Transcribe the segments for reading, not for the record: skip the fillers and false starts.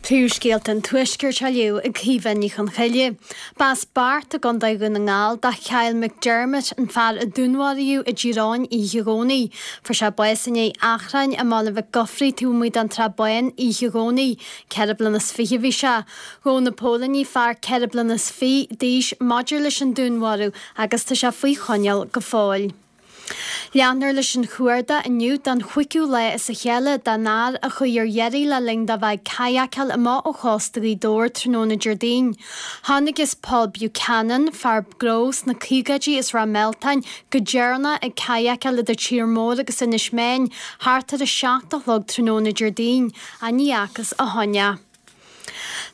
Príomhscéalta an Tuaiscirt á léamh ag Caoimhe Ní Chonchoille. B'as Beart i gContae Dhún na nGall do Kyle McDermott, an fear a dúnmharaíodh i dTír Eoghain oíche Dhomhnaigh. Fuair sé bás i ndiaidh achrainn i mBaile Mhic Gofraidh taobh amuigh den Tsrath Bán oíche Dhomhnaigh. 24 bliana a bhí sé. Ghabh na póilíní fear 24 bliana d'aois maidir leis an dúnmharú agus tá sé faoi choinneáil go fóill. Leanfar leis an chuardach inniu don chúigiú lá as a chéile don fhear a chuaigh ar iarraidh le linn dó bheith ag cadhacáil amach ó chósta Ghaoth Dobhair tráthnóna Déardaoin. Chonacthas Paul Buchanan, fear gnó sna caogaidí as Ráth Mealtain, go deireanach ag cadhacáil idir Tír Mór agus Inis Meáin thart ar 7 a chlog tráthnóna Déardaoin, ach ní fhacthas ó shin é.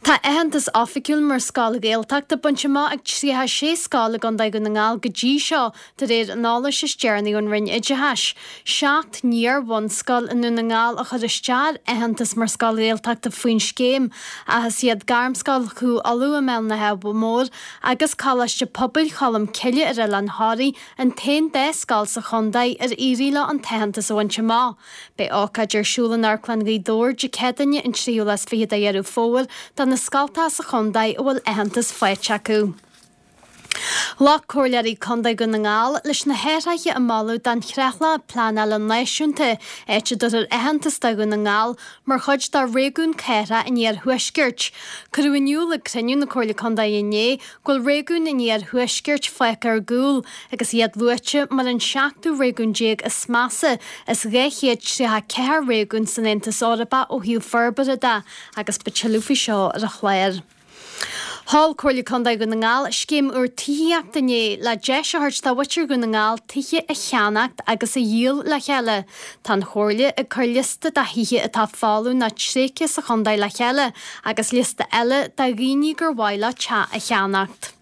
Tá aitheantas oifigiúil mar scoil Ghaeltachta bainte amach ag 36 scoil i gContae Dhún na nGall go dtí seo, de réir an eolais is deireanaí ón Roinn Oideachais. 7 n-iar-bhunscoil i nDún na nGall a chuir isteach ar aitheantas mar scoil Ghaeltachta faoin scéim, ach is iad Gairmscoil Chú Uladh i mBéal an Átha Móir agus Coláiste Pobail Cholm Cille ar Oileán Thoraí an t-aon dá scoil sa chontae ar éirigh leo an t-aitheantas a bhaint amach. Beidh ócáid ar siúl in Amharclann Ghaoth Dobhair Dé Céadaoine an tríú lá is fiche de Dheireadh Fómhair do na scoltacha sa chontae a bhfuil aitheantas faighte acu. Ghlac Comhairleoirí Contae Dhún na nGall leis na hathruithe a moladh don Chreatlach Pleanála Náisiúnta, áit a dtabharfar aitheantas do Dhún na nGall mar chuid de Réigiún Cathrach an Iarthuaiscirt. Cuireadh in iúl ag cruinniú na Comhairle Contae inné go bhfuil réigiún an Iarthuaiscirt fágtha ar gcúl agus iad luaite mar an seachtú réigiún déag is measa as 234 réigiún san Aontas Eorpach ó thaobh forbartha de agus beidh tuilleadh faoi seo ar an chlár. Sheol Comhairle Contae Dhún na nGall scéim úr tithíochta inné le deis a thabhairt do mhuintir Dhún na nGall tithe a cheannacht agus a dhíol le chéile. Tá an Chomhairle ag cur liosta de thithe atá folamh nó tréigthe sa chontae le chéile agus liosta eile de dhaoine gur mhaith leo teach a cheannacht.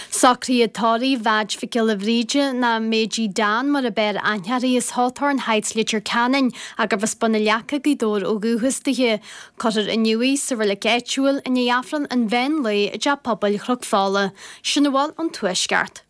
Socruithe tórraimh Mheaid Mhic Giolla Bhríde nó Méidí Dan mar ab fhearr aithne uirthi as Hawthorn Heights Leitir Ceanainn gurbh as Bun na Leaca Gaoth Dobhair ó dhúchas dithe. Cuirfear inniu í sa reilig áitiúil i ndiaidh Aifreann an mheán lae i dTeach Pobail Chnoc Fola. Sin a bhfuil ón Tuaisceart.